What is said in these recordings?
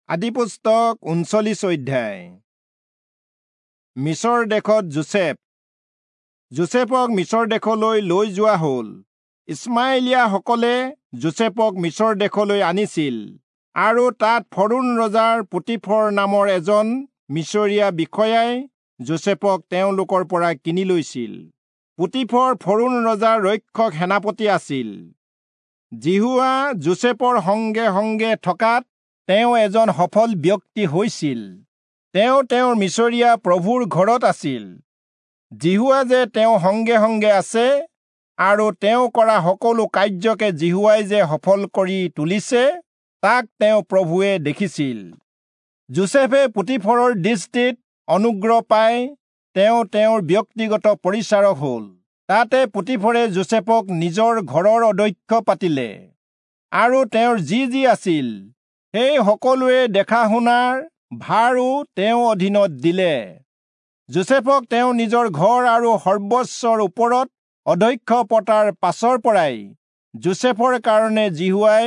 আদিপুস্তক 39 অধ্যায়। মিচৰ দেশত যোচেফ। যোচেফক মিচৰ দেশলৈ লৈ যোৱা হ'ল। ইছমাইলীয়াসকলে যোচেফক মিচৰ দেশলৈ আনিছিল আৰু তাত ফৰৌণ ৰজাৰ পোটীফৰ নামৰ এজন মিচৰীয়া বিষয়াই যোচেফক তেওঁলোকৰ পৰা কিনি লৈছিল। পোটীফৰ ফৰৌণ ৰজাৰ ৰক্ষক সেনাপতি আছিল। যিহোৱা যোচেফৰ সংগে সংগে থকাত তেওঁ এজন সফল ব্যক্তি হৈছিল। তেওঁ তেওঁৰ মিচৰীয়া প্ৰভুৰ ঘৰত আছিল। যিহোৱা যে তেওঁ সংগে সংগে আছে আৰু তেওঁ কৰা সকলো কাৰ্যকে যিহোৱাই যে সফল কৰি তুলিছে, তাক তেওঁ প্ৰভুৱে দেখিছিল। যোচেফে পোটীফৰৰ দৃষ্টিত অনুগ্ৰহ পাই তেওঁ তেওঁৰ ব্যক্তিগত পৰিচাৰক হ'ল। তাতে পোটীফৰে যোচেফক নিজৰ ঘৰৰ অধ্যক্ষ পাতিলে আৰু তেওঁৰ যি যি আছিল সেই সকলোৱে দেখা শুনাৰ ভাৰো তেওঁ অধীনত দিলে। যোচেফক তেওঁ নিজৰ ঘৰ আৰু সৰ্বস্বৰ ওপৰত অধ্যক্ষ পতাৰ পাছৰ পৰাই যোচেফৰ কাৰণে যিহোৱাই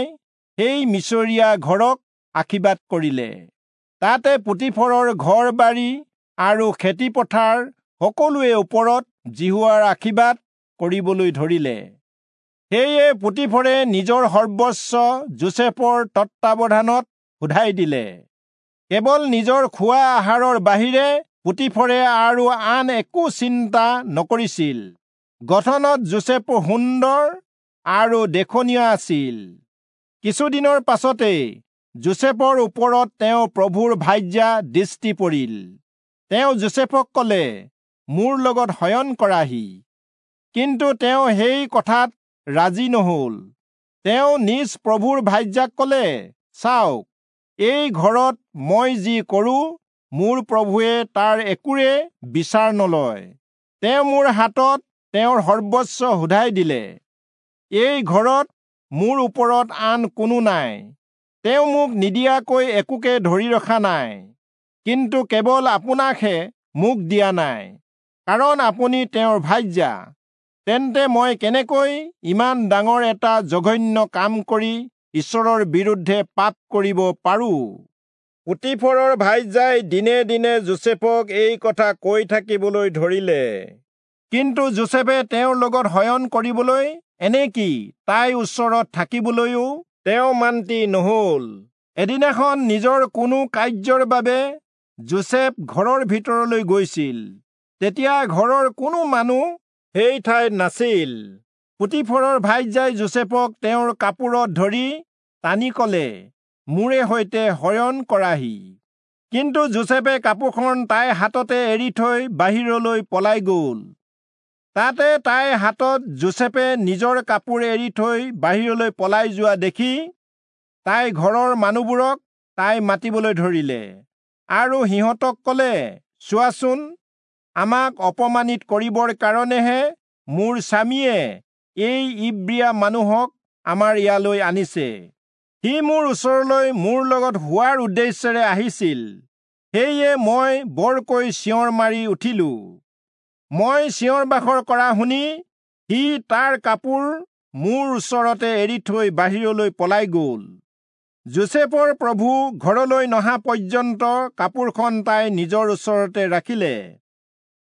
সেই মিচৰীয়া ঘৰক আশীৰ্বাদ কৰিলে। তাতে পোটীফৰৰ ঘৰ বাৰী আৰু খেতিপথাৰ সকলোৱে ওপৰত যিহোৱাৰ আশীৰ্বাদ কৰিবলৈ ধৰিলে। সেয়ে পোটীফৰে নিজৰ সৰ্বস্ব যোচেফৰ তত্বাৱধানত সোধাই দিলে। কেৱল নিজৰ খোৱা আহাৰৰ বাহিৰে পোটীফৰে আৰু আন একো চিন্তা নকৰিছিল। গঠনত যোচেফ সুন্দৰ আৰু দেখনীয় আছিল। কিছুদিনৰ পাছতেই যোচেফৰ ওপৰত তেওঁ প্ৰভুৰ ভাৰ্যা দৃষ্টি পৰিল। তেওঁ যোচেফক কলে, মোৰ লগত শয়ন কৰাহি। কিন্তু তেওঁ সেই কথাত ৰাজি নহল। তেওঁ নিজ প্ৰভুৰ ভাৰ্যাক কলে, চাওক, এই ঘৰত মই যি কৰো, মোৰ প্ৰভুৱে তাৰ একোৰে বিচাৰ নলয়। তেওঁ মোৰ হাতত তেওঁৰ সৰ্বস্ব সোধাই দিলে। এই ঘৰত মোৰ ওপৰত আন কোনো নাই। তেওঁ মোক নিদিয়াকৈ একোকে ধৰি ৰখা নাই, কিন্তু কেৱল আপোনাকহে মোক দিয়া নাই, কাৰণ আপুনি তেওঁৰ ভাৰ্যা। তেন্তে মই কেনেকৈ ইমান ডাঙৰ এটা জঘন্য কাম কৰি ঈশ্বৰৰ বিৰুদ্ধে পাপ কৰিব পাৰো? পোটীফৰৰ ভাৰ্যাই দিনে দিনে যোচেফক এই কথা কৈ থাকিবলৈ ধৰিলে। কিন্তু যোচেফে তেওঁৰ লগত শয়ন কৰিবলৈ, এনেকি তাইৰ ওচৰত থাকিবলৈও তেওঁ মান্তি নহল। এদিনাখন নিজৰ কোনো কাৰ্যৰ বাবে যোচেফ ঘৰৰ ভিতৰলৈ গৈছিল। তেতিয়া ঘৰৰ কোনো মানুহ সেই ঠাইত নাছিল। পোটীফৰৰ ভাৰ্যাই যোচেফক তেওঁৰ কাপোৰত ধৰি টানি কলে, মোৰে সৈতে শয়ন কৰাহি। কিন্তু যোচেফে কাপোৰখন তাইৰ হাততে এৰি থৈ বাহিৰলৈ পলাই গল। তাতে তাইৰ হাতত যোচেফে নিজৰ কাপোৰ এৰি থৈ বাহিৰলৈ পলাই যোৱা দেখি তাই ঘৰৰ মানুহবোৰক তাই মাতিবলৈ ধৰিলে আৰু সিহঁতক কলে, চোৱাচোন, আমাক অপমানিত কৰিবৰ কাৰণেহে মোৰ স্বামীয়ে এই ইব্ৰীয়া মানুহক আমাৰ ইয়ালৈ আনিছে। সি মোৰ ওচৰলৈ মোৰ লগত হোৱাৰ উদ্দেশ্যেৰে আহিছিল। সেয়ে মই বৰকৈ চিঞৰ মাৰি উঠিলো। মই চিঞৰ বাখৰ কৰা শুনি সি তাৰ কাপোৰ মোৰ ওচৰতে এৰি থৈ বাহিৰলৈ পলাই গল। যোচেফৰ প্ৰভু ঘৰলৈ নহা পৰ্যন্ত কাপোৰখন তাই নিজৰ ওচৰতে ৰাখিলে।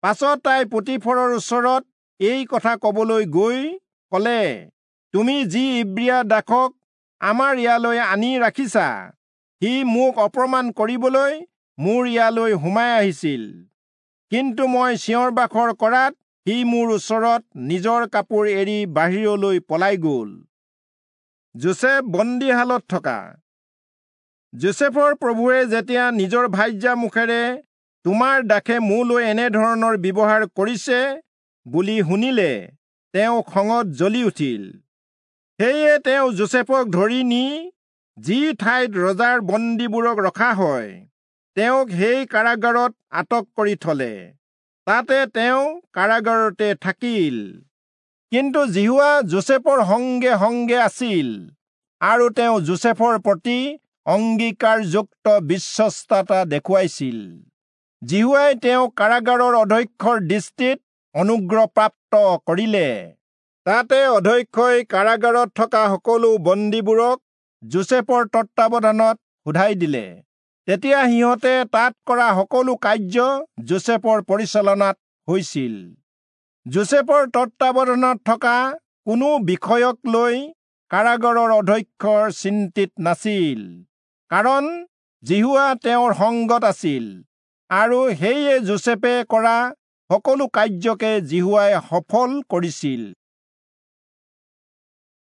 পাছত তাই পোটীফৰৰ ওচৰত এই কথা কবলৈ গৈ কলে, তুমি যি ইব্ৰীয়া দাসক আমাৰ ইয়ালৈ আনি ৰাখিছা, সি মোক অপমান কৰিবলৈ মোৰ ইয়ালৈ সোমাই আহিছিল। কিন্তু মই চিঞৰ বাখৰ কৰাত সি মোৰ ওচৰত নিজৰ কাপোৰ এৰি বাহিৰলৈ পলাই গল। যোচেফ বন্দীশালত থকা। যোচেফৰ প্ৰভুৱে যেতিয়া নিজৰ ভাৰ্যা মুখেৰে তোমাৰ দাসে মোলৈ এনেধৰণৰ ব্যৱহাৰ কৰিছে বুলি শুনিলে, তেওঁ খঙত জ্বলি উঠিল। সেয়ে তেওঁ যোচেফক ধৰি নি যি ঠাইত ৰজাৰ বন্দীবোৰক ৰখা হয়, তেওঁক সেই কাৰাগাৰত আটক কৰি থলে। তাতে তেওঁ কাৰাগাৰতে থাকিল। কিন্তু যিহোৱা যোচেফৰ সংগে সংগে আছিল আৰু তেওঁ যোচেফৰ প্ৰতি অংগীকাৰযুক্ত বিশ্বস্ততা দেখুৱাইছিল। যিহোৱাই তেওঁক কাৰাগাৰৰ অধ্যক্ষৰ দৃষ্টিত অনুগ্ৰহপ্ৰাপ্ত কৰিলে। তাতে অধ্যক্ষই কাৰাগাৰত থকা সকলো বন্দীবোৰক যোচেফৰ তত্বাৱধানত সোধাই দিলে। তেতিয়া সিহঁতে তাত কৰা সকলো কাৰ্য যোচেফৰ পৰিচালনাত হৈছিল। যোচেফৰ তত্বাৱধানত থকা কোনো বিষয়ক লৈ কাৰাগাৰৰ অধ্যক্ষৰ চিন্তিত নাছিল, কাৰণ যিহোৱা তেওঁৰ সংগত আছিল আৰু সেয়ে যোচেফে কৰা সকলো কাৰ্যকে যিহোৱাই সফল কৰিছিল।